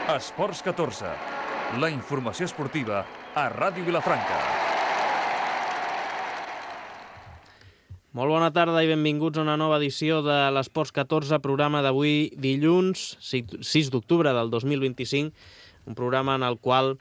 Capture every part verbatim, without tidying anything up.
Esports catorze, la informació esportiva a Ràdio Vilafranca. Molt bona tarda i benvinguts a una nova edició de l'Esports catorze, programa d'avui dilluns, sis d'octubre del dos mil vint-i-cinc, un programa en el qual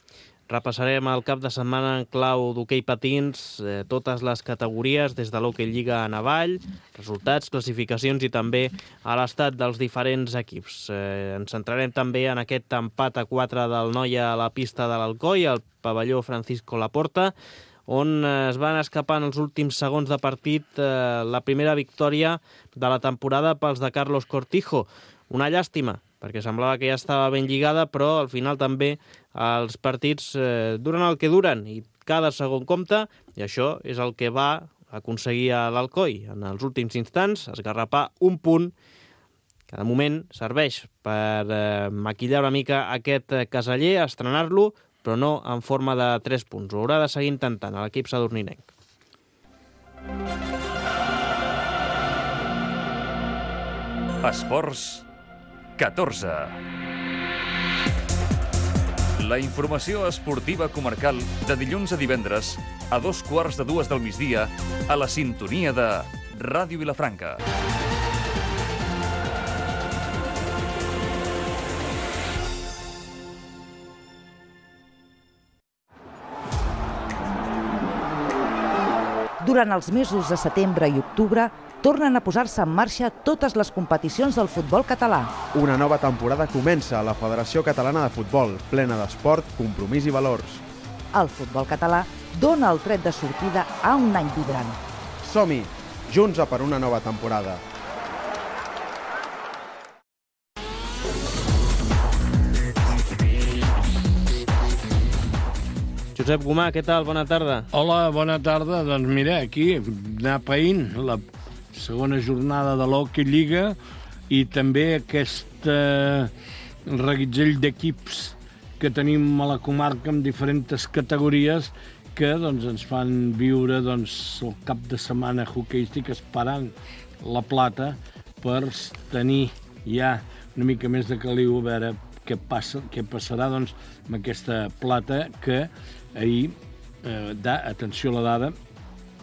repassarem el cap de setmana en clau d'hoquei patins, eh, totes les categories, des de l'hoquei lliga a navall, resultats, classificacions i també a l'estat dels diferents equips. Eh, ens centrarem també en aquest empat a quatre del Noia a la pista de l'Alcoi, al pavelló Francisco Laporta, on es van escapar en els últims segons de partit eh, la primera victòria de la temporada pels de Carlos Cortijo. Una llàstima, perquè semblava que ja estava ben lligada, però al final també els partits eh, duren el que duren i cada segon compta, i això és el que va aconseguir a l'Alcoi en els últims instants, esgarrapar un punt que de moment serveix per eh, maquillar una mica aquest caseller, estrenar-lo, però no en forma de tres punts. Ho haurà de seguir intentant a l'equip sadurninenc. Esports catorze. La informació esportiva comarcal de dilluns a divendres a dos quarts de dues del migdia a la sintonia de Ràdio Vilafranca. Durant els mesos de setembre i octubre, tornen a posar-se en marxa totes les competicions del futbol català. Una nova temporada comença a la Federació Catalana de Futbol, plena d'esport, compromís i valors. El futbol català dona el tret de sortida a un any vibrant. Som-hi, junts a per una nova temporada. Josep Gomà, què tal? Bona tarda. Hola, bona tarda. Doncs mira, aquí, anar païnt la segona jornada de l'Hockey Lliga i també aquest eh, reguitzell d'equips que tenim a la comarca amb diferents categories que doncs, ens fan viure doncs, el cap de setmana hoqueístic esperant la plata per tenir ja una mica més de caliu a veure què, passa, què passarà doncs, amb aquesta plata que ahir, eh, da, atenció a la dada,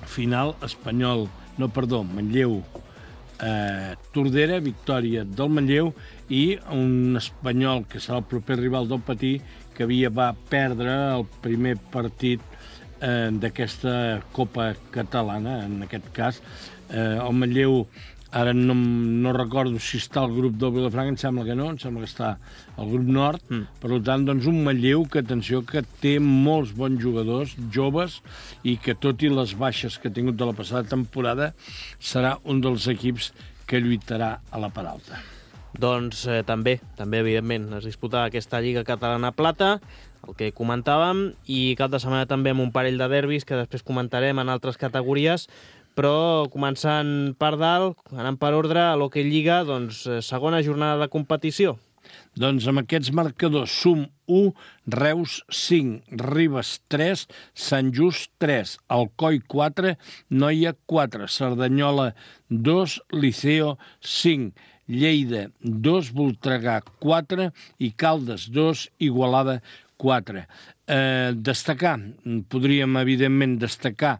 final espanyol, no, perdó, Manlleu, eh, Tordera, victòria del Manlleu i un espanyol que serà el proper rival del Patí que havia va perdre el primer partit eh, d'aquesta Copa Catalana, en aquest cas. Eh, el Manlleu, ara no, no recordo si està al grup del Vilafranca, em sembla que no, em sembla que està al grup nord, mm. per tant, doncs un Manlleu que, atenció, que té molts bons jugadors, joves, i que tot i les baixes que ha tingut de la passada temporada, serà un dels equips que lluitarà a la part alta. Doncs eh, també, també, evidentment, es disputa aquesta Lliga Catalana Plata, el que comentàvem, i cap de setmana també amb un parell de derbis que després comentarem en altres categories, però començant per dalt, anant per ordre, a l'Hockey Lliga, doncs, segona jornada de competició. Doncs amb aquests marcadors, Sum u, Reus cinc, Ribes tres, Sant Just tres, Alcoi quatre, Noia quatre, Cerdanyola dos, Liceo cinc, Lleida dos, Voltregà quatre i Caldes dos, Igualada quatre. Eh, destacar, podríem evidentment destacar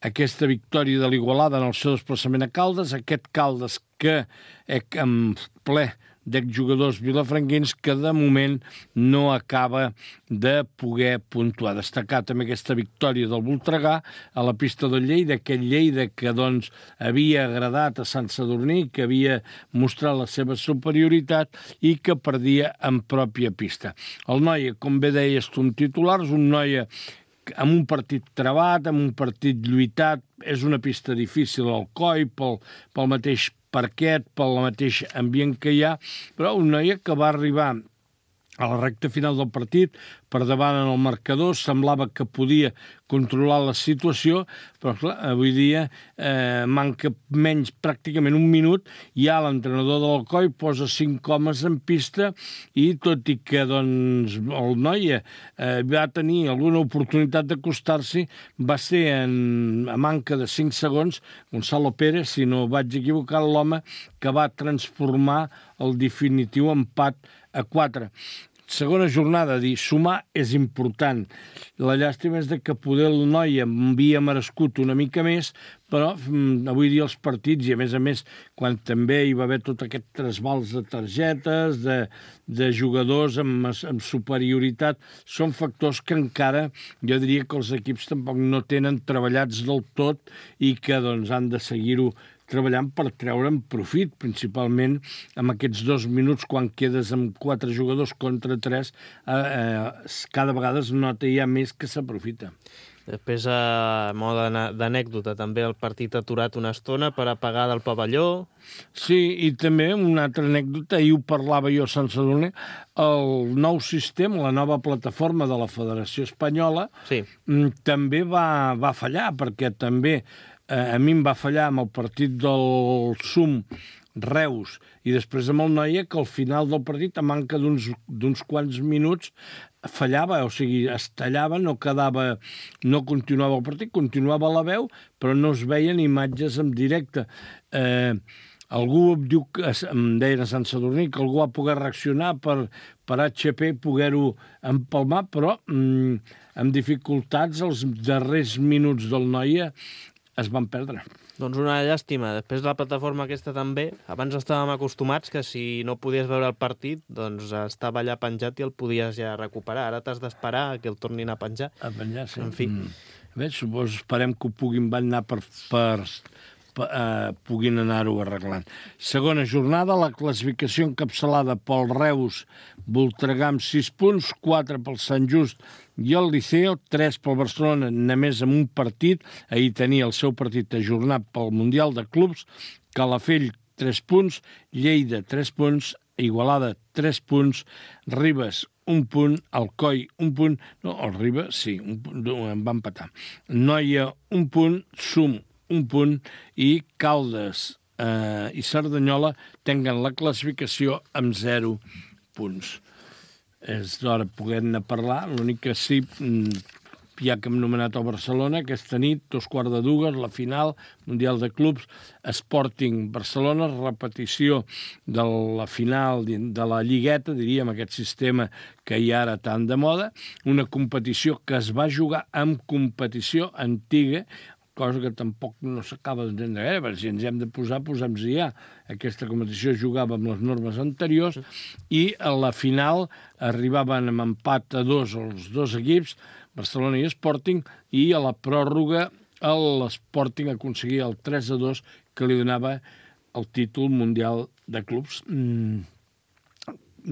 aquesta victòria de l'Igualada en el seu desplaçament a Caldes, aquest Caldes que eh, en ple d'exjugadors vilafranquins que de moment no acaba de poder puntuar. Destacar també aquesta victòria del Voltregà a la pista del Lleida, aquest Lleida que doncs, havia agradat a Sant Sadurní, que havia mostrat la seva superioritat i que perdia en pròpia pista. El Noia, com bé deies tu en titulars, un Noia amb un partit trebat, amb un partit lluitat, és una pista difícil al Coi, pel, pel mateix parquet, pel mateix ambient que hi ha, però un Noia que va arribar a la recta final del partit, per davant en el marcador, semblava que podia controlar la situació, però clar, avui dia eh, manca menys, pràcticament un minut, ja l'entrenador de l'Alcoi posa cinc homes en pista i tot i que doncs, el Noia eh, va tenir alguna oportunitat d'acostar-s'hi, va ser en, a manca de cinc segons, Gonzalo Pérez, si no vaig equivocar, l'home que va transformar el definitiu empat a quatre. segona jornada, dir, sumar és important. La llàstima és de que poder el Noia havia merescut una mica més, però mm, avui dia els partits, i a més a més, quan també hi va haver tot aquest trasbals de targetes, de, de jugadors amb, amb superioritat, són factors que encara, jo diria que els equips tampoc no tenen treballats del tot i que doncs, han de seguir-ho treballant per treure'n profit, principalment amb aquests dos minuts quan quedes amb quatre jugadors contra tres, eh, eh, cada vegada es nota ja més que s'aprofita. Després, a mode d'anècdota, també el partit aturat una estona per apagar del pavelló. Sí, i també una altra anècdota, ahir ho parlava jo a Sant Sadurní, el nou sistema, la nova plataforma de la Federació Espanyola, sí. també va, va fallar, perquè també a mi em va fallar amb el partit del Sum Reus i després amb el Noia, que al final del partit, a manca d'uns quants minuts, fallava, o sigui, es tallava, no quedava, no continuava el partit, continuava la veu, però no es veien imatges en directe. Eh, algú em diu, em deia a Sant Sadurní, que algú va poder reaccionar per, per H P poder-ho empalmar, però mm, amb dificultats els darrers minuts del Noia es van perdre. Doncs una llàstima. Després la plataforma aquesta també, abans estàvem acostumats que si no podies veure el partit, doncs estava allà penjat i el podies ja recuperar. Ara t'has d'esperar que el tornin a penjar. A penjar, sí. En fi. Mm. Bé, suposo, esperem que ho puguin anar per... per Uh, puguin anar-ho arreglant. Segona jornada, la classificació encapçalada pel Reus, Voltregà amb sis punts, quatre pel Sant Just i el Liceo, tres pel Barcelona, només amb un partit, ahir tenia el seu partit ajornat pel Mundial de Clubs, Calafell, tres punts, Lleida, tres punts, Igualada, tres punts, Ribes, un punt, Alcoi, un punt, no, el Ribes, sí, un punt, em va empatar, Noia, un punt, Sum, un punt, i Caldes eh, i Cerdanyola tenen la classificació amb zero punts. És d'hora poder-ne parlar, l'únic que sí, ja que hem nomenat el Barcelona, aquesta nit, dos quarts de dues, la final, Mundial de Clubs, Sporting Barcelona, repetició de la final de la Lligueta, diríem, aquest sistema que hi ha ara tan de moda, una competició que es va jugar amb competició antiga, cosa que tampoc no s'acaba d'entendre gaire, perquè si ens hem de posar, posem-nos ja. Aquesta competició jugava amb les normes anteriors i a la final arribaven amb empat a dos els dos equips, Barcelona i Sporting, i a la pròrroga l'Sporting aconseguia el tres a dos que li donava el títol mundial de clubs. Mm,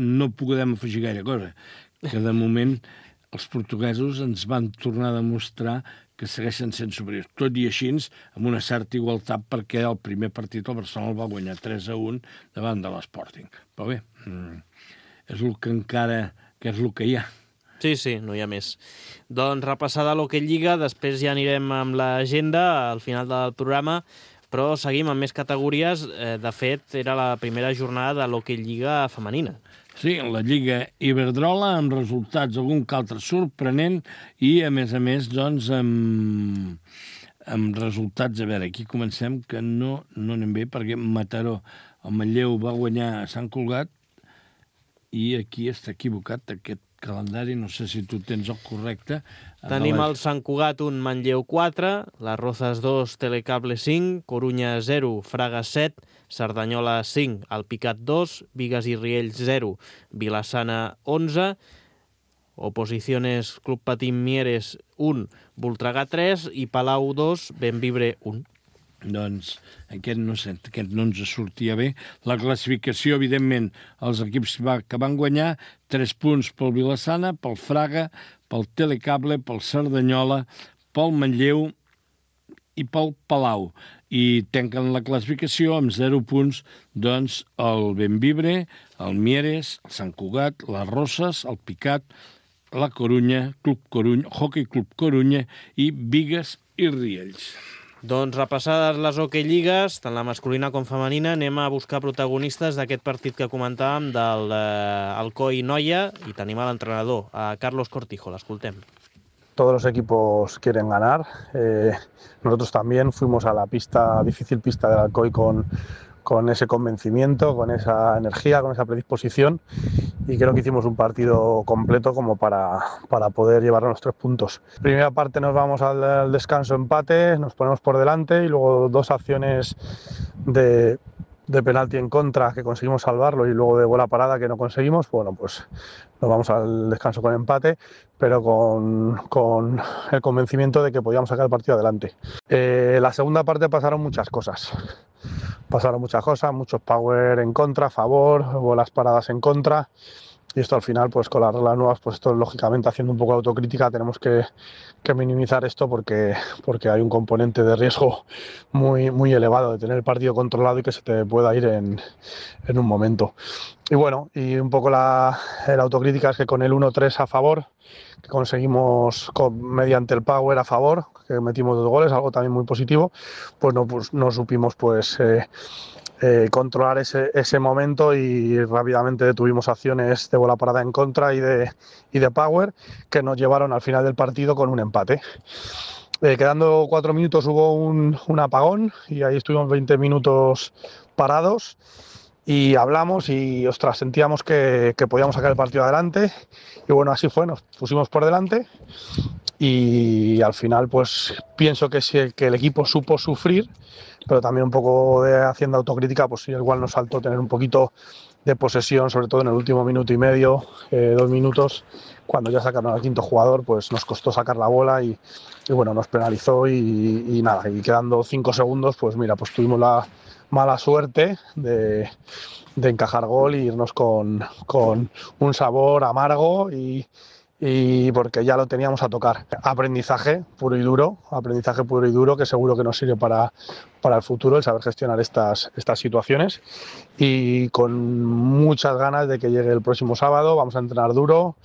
no podem afegir gaire cosa, que de moment els portuguesos ens van tornar a demostrar que segueixen sent superiors. Tot i així, amb una certa igualtat, perquè el primer partit el Barcelona el va guanyar tres a un davant de l'Sporting. Però bé, és el que encara que és el que hi ha. Sí, sí, no hi ha més. Doncs repassada l'Hockey Lliga, després ja anirem amb l'agenda al final del programa, però seguim amb més categories. De fet, era la primera jornada de l'Hockey Lliga femenina. Sí, la Lliga Iberdrola, amb resultats algun que altre sorprenent i, a més a més, doncs, amb, amb resultats... A veure, aquí comencem, que no, no anem bé, perquè Mataró, el Manlleu, va guanyar a Sant Cugat i aquí està equivocat aquest calendari, no sé si tu tens el correcte. Tenim el Sant Cugat un, Manlleu quatre, les Rozas dos, Telecable cinc, Corunya zero, Fraga set, Cerdanyola cinc, Alpicat dos, Bigues i Riells zero, Vilassana onze, Oposiciones Club Patín Mieres un, Voltregà tres i Palau dos, Benvibre un. Doncs aquest no, aquest no ens sortia bé. La classificació, evidentment, els equips va, que van guanyar, tres punts pel Vilassana, pel Fraga, pel Telecable, pel Cerdanyola, pel Manlleu i pel Palau. I tanquen la classificació amb zero punts, doncs, el Benvibre, el Mieres, el Sant Cugat, les Roses, el Picat, la Corunya, Club Corunya, Hockey Club Corunya i Bigues i Riells. Doncs repassades les Hockey Lligues, tant la masculina com femenina, anem a buscar protagonistes d'aquest partit que comentàvem del eh, Alcoi Noia i tenim a l'entrenador, a Carlos Cortijo. L'escoltem. Todos los equipos quieren ganar. Eh, nosotros también fuimos a la pista, difícil pista del Alcoi con, con ese convencimiento, con esa energía, con esa predisposición y creo que hicimos un partido completo como para, para poder llevarnos los tres puntos. Primera parte nos vamos al, al descanso empate, nos ponemos por delante y luego dos acciones de, de penalti en contra que conseguimos salvarlo y luego de bola parada que no conseguimos. Bueno, pues nos vamos al descanso con empate, pero con, con el convencimiento de que podíamos sacar el partido adelante. Eh, la segunda parte pasaron muchas cosas. Pasaron muchas cosas, muchos power en contra, a favor, bolas paradas en contra. Y esto al final, pues con las reglas nuevas, pues esto lógicamente haciendo un poco de autocrítica tenemos que, que minimizar esto porque, porque hay un componente de riesgo muy, muy elevado de tener el partido controlado y que se te pueda ir en, en un momento. Y bueno, y un poco la, la autocrítica es que con el uno tres a favor, que conseguimos con, mediante el power a favor, que metimos dos goles, algo también muy positivo, pues no, pues, no supimos pues... Eh, Eh, controlar ese, ese momento y rápidamente detuvimos acciones de bola parada en contra y de, y de power que nos llevaron al final del partido con un empate. Eh, quedando cuatro minutos hubo un, un apagón y ahí estuvimos veinte minutos parados y hablamos y ostras, sentíamos que, que podíamos sacar el partido adelante y bueno, así fue, nos pusimos por delante y al final pues pienso que, si, que el equipo supo sufrir, pero también un poco de haciendo autocrítica, pues sí, igual nos saltó tener un poquito de posesión, sobre todo en el último minuto y medio, eh, dos minutos, cuando ya sacaron al quinto jugador, pues nos costó sacar la bola y, y bueno, nos penalizó y, y nada, y quedando cinco segundos, pues mira, pues tuvimos la mala suerte de, de encajar gol y irnos con, con un sabor amargo y y porque ya lo teníamos a tocar. Aprendizaje puro y duro, aprendizaje puro y duro que seguro que nos sirve para, para el futuro, el saber gestionar estas, estas situaciones y con muchas ganas de que llegue el próximo sábado, vamos a entrenar duro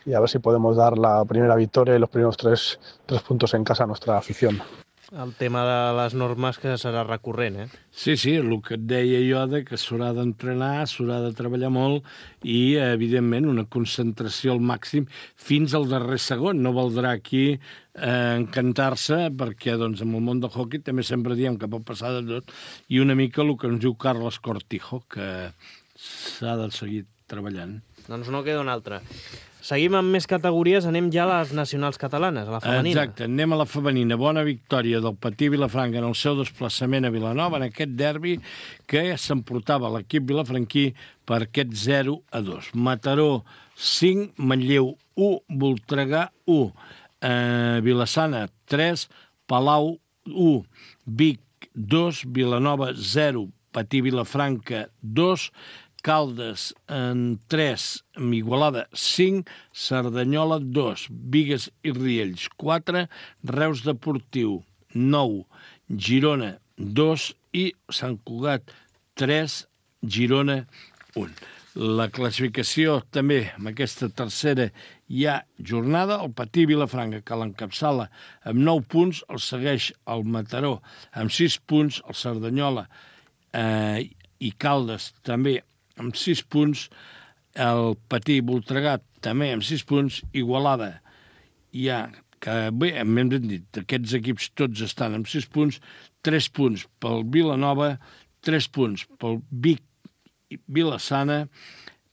y a ver si podemos dar la primera victoria y los primeros tres, tres puntos en casa a nuestra afición. El tema de les normes que serà recurrent, eh? Sí, sí, el que et deia jo de que s'haurà d'entrenar, s'haurà de treballar molt i, evidentment, una concentració al màxim fins al darrer segon. No valdrà aquí eh, encantar-se perquè doncs, en el món del hoquei també sempre diem que pot passar de tot i una mica el que ens diu Carles Cortijo, que s'ha de seguir treballant. Doncs no queda una altra. Seguim amb més categories, anem ja a les nacionals catalanes, a la femenina. Exacte, anem a la femenina. Bona victòria del Patí Vilafranca en el seu desplaçament a Vilanova, en aquest derbi que s'emportava l'equip vilafranquí per aquest zero a dos. Mataró cinc, Manlleu u, Voltregà u, eh, Vilassana tres, Palau u, Vic dos, Vilanova zero, Patí Vilafranca dos, Caldes en tres, Igualada cinc, Cerdanyola dos, Bigues i Riells quatre, Reus Deportiu nou, Girona dos i Sant Cugat tres, Girona un. La classificació també amb aquesta tercera hi ha jornada. El Patí Vilafranca, que l'encapçala amb nou punts, el segueix el Mataró amb sis punts, el Cerdanyola eh, i Caldes també amb sis punts, el Patí Voltregà també amb sis punts, Igualada hi ha, que bé, hem dit, aquests equips tots estan amb sis punts, tres punts pel Vilanova, tres punts pel Vic i Vilassana,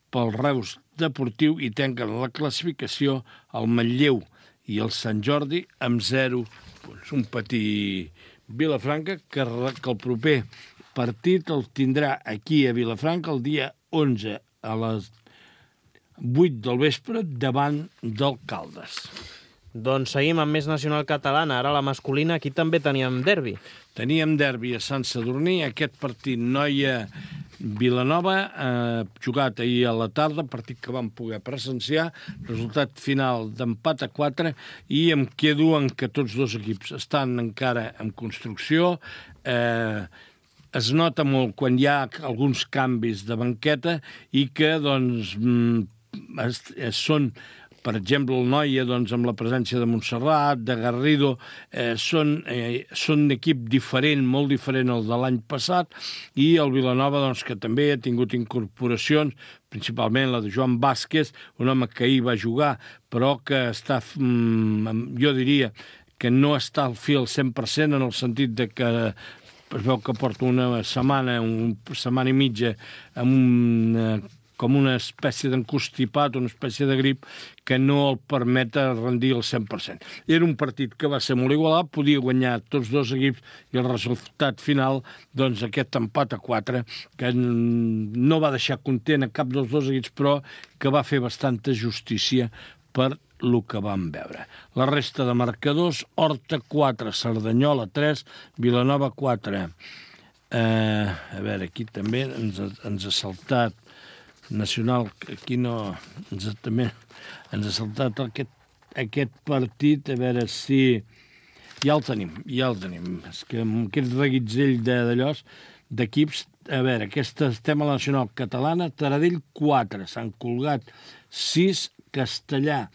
pel Reus Deportiu i tanquen la classificació el Manlleu i el Sant Jordi amb zero punts. Un Patí Vilafranca que, que el proper partit el tindrà aquí a Vilafranca el dia onze a les vuit del vespre davant del Caldes. Doncs seguim amb més nacional catalana. Ara la masculina, aquí també teníem derbi. Teníem derbi a Sant Sadurní, aquest partit Noia-Vilanova, eh, jugat ahir a la tarda, partit que vam poder presenciar, resultat final d'empat a quatre, i em quedo en que tots dos equips estan encara en construcció, eh, es nota molt quan hi ha alguns canvis de banqueta i que, doncs, es, es són, per exemple, el Noia, doncs, amb la presència de Montserrat, de Garrido, eh, són, eh, són un equip diferent, molt diferent al de l'any passat, i el Vilanova, doncs, que també ha tingut incorporacions, principalment la de Joan Vázquez, un home que ahir va jugar, però que està, jo diria, que no està al fil cent per cent en el sentit de que es veu que porta una setmana, una setmana i mitja amb una com una espècie d'encostipat, una espècie de grip, que no el permet rendir el cent per cent. Era un partit que va ser molt igualat, podia guanyar tots dos equips, i el resultat final, doncs aquest empat a quatre, que no va deixar content a cap dels dos equips, però que va fer bastanta justícia per el que vam veure. La resta de marcadors: Horta quatre, Cerdanyola tres, Vilanova quatre. Eh, a veure, aquí també ens ha, ens ha saltat Nacional, aquí no, ens ha, també ens ha saltat aquest, aquest partit, a veure si... Ja el tenim, ja el tenim. És que amb aquest reguitzell d'allòs, d'equips, a veure, aquesta, estem a la Nacional Catalana, Taradell quatre, Sant Cugat sis, Castellà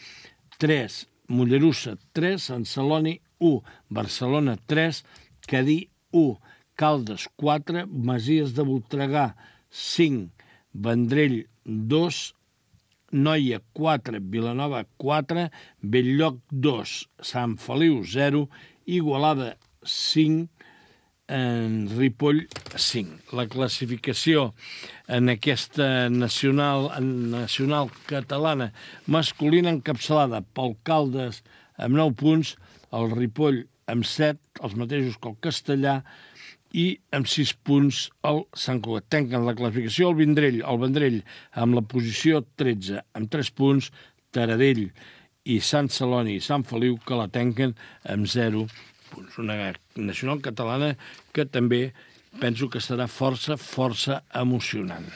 tres, Mollerussa tres, Sant Celoni u, Barcelona tres, Cadí u, Caldes quatre, Masies de Voltregà cinc, Vendrell dos, Noia quatre, Vilanova quatre, Belllloc dos, Sant Feliu zero, Igualada cinc, en Ripoll cinc. La classificació en aquesta nacional, nacional catalana masculina encapçalada pel Caldes amb nou punts, el Ripoll amb set, els mateixos que el Castellà, i amb sis punts el Sant Cugat. Tanquen la classificació el Vendrell, el Vendrell amb la posició tretze, amb tres punts, Taradell i Sant Celoni i Sant Feliu, que la tanquen amb zero punts. Una nacional catalana que també penso que serà força, força emocionant.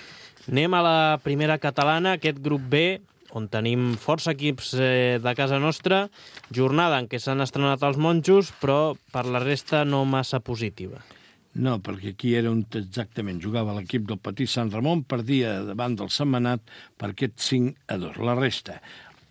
Anem a la primera catalana, aquest grup B, on tenim força equips eh, de casa nostra, jornada en què s'han estrenat els monjos, però per la resta no massa positiva. No, perquè aquí era on exactament jugava l'equip del Petit Sant Ramon, perdia davant del Sentmenat per aquest cinc a dos. La resta: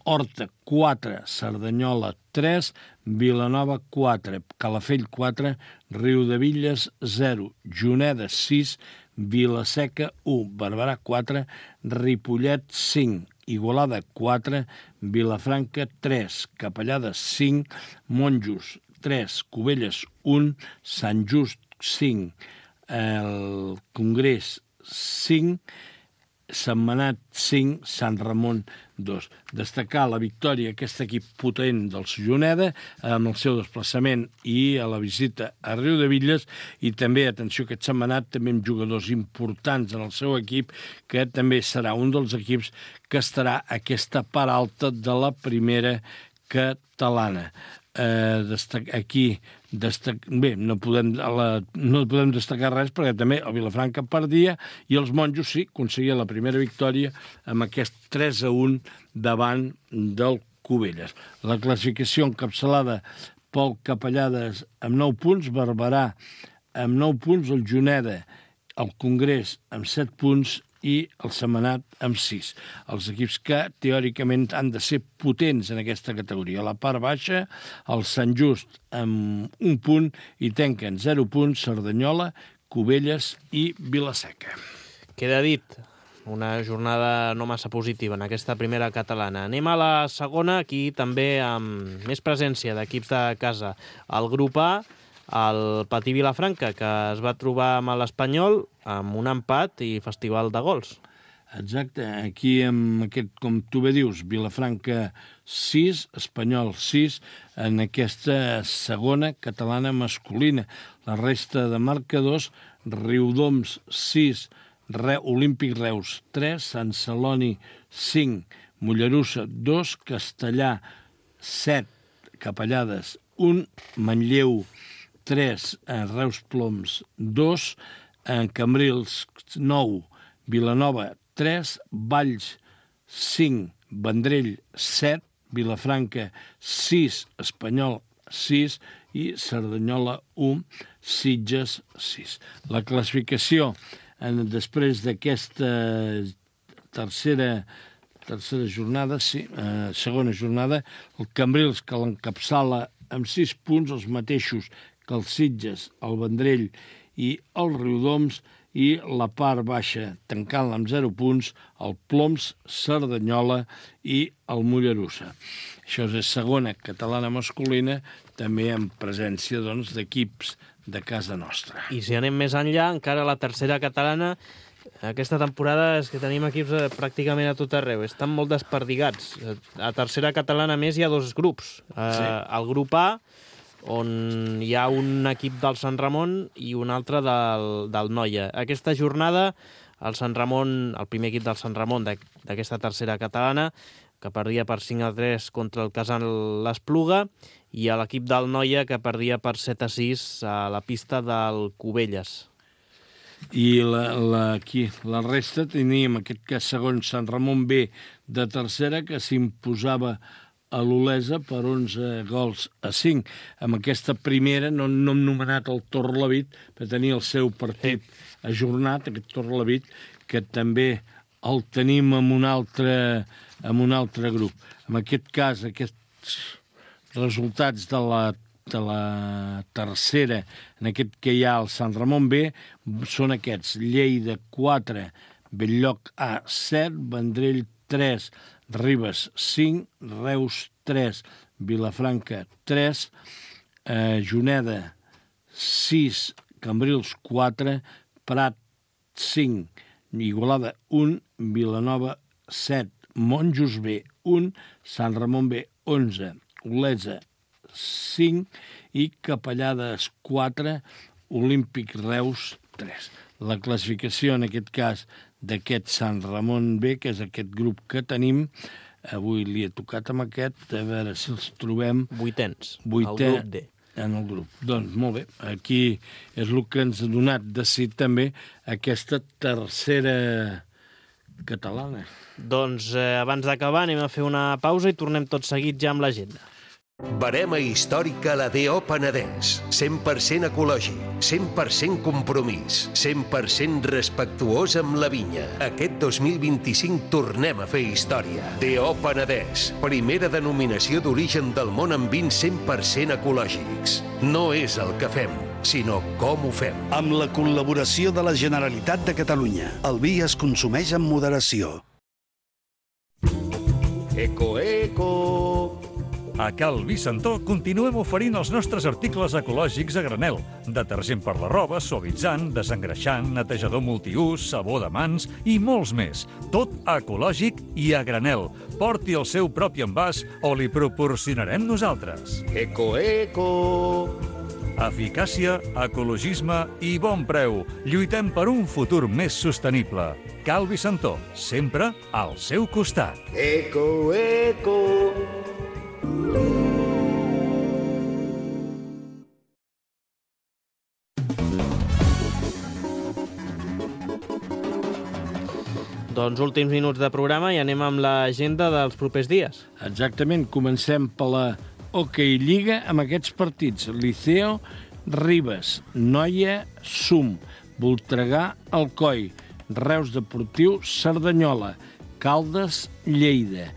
Horta quatre, Cerdanyola tres, Vilanova quatre, Calafell quatre, Riudevilles zero, Juneda sis, Vilaseca u, Barberà quatre, Ripollet cinc, Igualada quatre, Vilafranca tres, Capellada cinc, Monjos tres, Cubelles un, Sant Just cinc, el Congrés cinc, Sentmenat cinc, Sant Ramon dos. Destacar la victòria, aquest equip potent dels Juneda, amb el seu desplaçament i a la visita a Riudevilles, i també, atenció, aquest Sentmenat també amb jugadors importants en el seu equip, que també serà un dels equips que estarà a aquesta part alta de la primera catalana. Eh, destac, aquí destac, bé, no podem, la, no podem destacar res, perquè també el Vilafranca perdia i els monjos sí aconseguia la primera victòria amb aquest tres a un davant del Cubelles. La classificació encapçalada pel Capellades amb nou punts, Barberà amb nou punts, el Juneda, el Congrés amb set punts i el Sentmenat amb sis. Els equips que, teòricament, han de ser potents en aquesta categoria. A la part baixa, el Sant Just amb un punt i tanquen zero punts Cerdanyola, Cubelles i Vilaseca. Queda dit, una jornada no massa positiva en aquesta primera catalana. Anem a la segona, aquí també amb més presència d'equips de casa. El grup A, el Patí Vilafranca, que es va trobar amb l'Espanyol amb un empat i festival de gols. Exacte, aquí amb aquest, com tu bé dius, Vilafranca sis, Espanyol sis, en aquesta segona catalana masculina. La resta de marcadors: Riudoms sis, Re, Olímpic Reus tres, Sant Celoni cinc, Mollerussa dos, Castellà set, Capellades un, Manlleu tres, Reus Ploms dos, Cambrils nou, Vilanova tres, Valls cinc, Vendrell set, Vilafranca sis, Espanyol sis i Cerdanyola un, Sitges sis. La classificació en, després d'aquesta tercera tercera jornada, sí, eh, segona jornada, el Cambrils, que l'encapçala amb sis punts, els mateixos que els Sitges, el Vendrell i el Riudoms, i la part baixa, tancant-la amb zero punts, el Ploms, Cerdanyola i el Mollerussa. Això és segona catalana masculina, també amb presència doncs, d'equips de casa nostra. I si anem més enllà, encara la tercera catalana Aquesta temporada és que tenim equips pràcticament a tot arreu. Estan molt desperdigats. A tercera catalana més hi ha dos grups. Sí. El grup A, on hi ha un equip del Sant Ramon i un altre del, del Noia. Aquesta jornada, el Sant Ramon, el primer equip del Sant Ramon d'aquesta tercera catalana, que perdia per cinc a tres contra el Casal l'Espluga, i a l'equip del Noia, que perdia per set a sis a la pista del Cubelles. I la, la, aquí, la resta teníem aquest cas segon Sant Ramon B de tercera, que s'imposava a l'Olesa per onze gols a cinc. Amb aquesta primera no, no hem nomenat el Torrelavit, per tenir el seu partit ajornat, aquest Torrelavit, que també el tenim en un altre, en un altre grup. En aquest cas, aquests resultats de la, de la tercera, en aquest que hi ha el Sant Ramon B, són aquests: Lleida quatre, Bell-lloc A set, Vendrell tres, Ribes cinc, Reus tres, Vilafranca tres, eh, Juneda sis, Cambrils quatre, Prat cinc, Igualada un, Vilanova set, Monjos B un, Sant Ramon B onze, Olesa cinc i Capellades quatre, Olímpic Reus tres. La classificació, en aquest cas, d'aquest Sant Ramon B, que és aquest grup que tenim, avui li he tocat amb aquest, a veure si els trobem... Vuitens, Vuitè, el grup D. En el grup. Doncs molt bé, aquí és el que ens ha donat de si també aquesta tercera catalana. Doncs eh, abans d'acabar anem a fer una pausa i tornem tot seguit ja amb l'agenda. Barema històrica la D O Penedès. cent per cent ecològic, cent per cent compromís, cent per cent respectuós amb la vinya. Aquest dos mil vint-i-cinc tornem a fer història. D O Penedès, primera denominació d'origen del món amb vins cent per cent ecològics. No és el que fem, sinó com ho fem. Amb la col·laboració de la Generalitat de Catalunya, el vi es consumeix amb moderació. Eco, eco... A Cal Vicentó continuem oferint els nostres articles ecològics a granel. Detergent per la roba, suavitzant, desengreixant, netejador multiús, sabó de mans i molts més. Tot ecològic i a granel. Porti el seu propi envàs o li proporcionarem nosaltres. Eco, eco... Eficàcia, ecologisme i bon preu. Lluitem per un futur més sostenible. Cal Vicentó, sempre al seu costat. Eco, eco... Doncs últims minuts de programa i anem amb l'agenda dels propers dies. Exactament, comencem per la Hockey Lliga amb aquests partits. Liceo, Ribes, Noia, Sum, Voltregà, Alcoi, Reus Deportiu, Cerdanyola, Caldes, Lleida,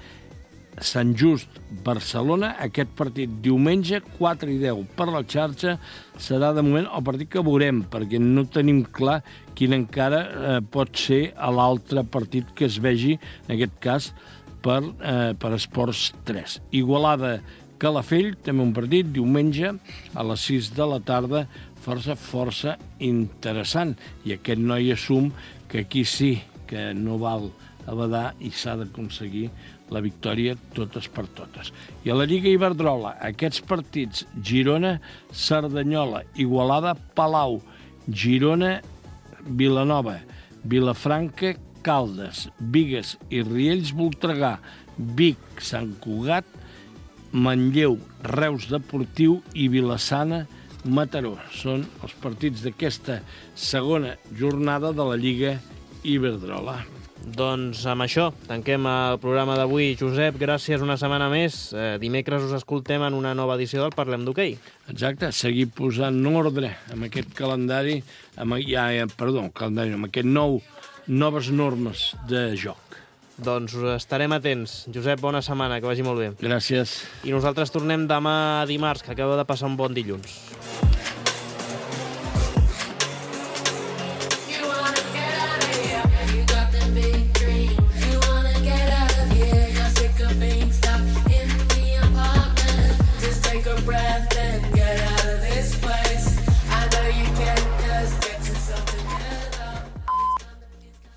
Sant Just, Barcelona. Aquest partit diumenge, quatre i deu per la xarxa, serà de moment el partit que veurem, perquè no tenim clar quin encara eh, pot ser l'altre partit que es vegi, en aquest cas, per, eh, per Esports tres. Igualada, Calafell, també un partit, diumenge, a les sis de la tarda, força, força interessant. I aquest Noia Sum, que aquí sí que no val a badar i s'ha d'aconseguir la victòria totes per totes. I a la Lliga Iberdrola, aquests partits, Girona, Cerdanyola, Igualada, Palau, Girona, Vilanova, Vilafranca, Caldes, Bigues i Riells, Voltregà, Vic, Sant Cugat, Manlleu, Reus Deportiu i Vilassana, Mataró. Són els partits d'aquesta segona jornada de la Lliga Iberdrola. Doncs amb això tanquem el programa d'avui. Josep, gràcies una setmana més. Eh, dimecres us escoltem en una nova edició del Parlem d'Hoquei. Exacte, seguir posant ordre amb aquest calendari, amb, ja, perdó, calendari, amb aquest nou, noves normes de joc. Doncs estarem atents. Josep, bona setmana, que vagi molt bé. Gràcies. I nosaltres tornem demà dimarts, que acaba de passar un bon dilluns.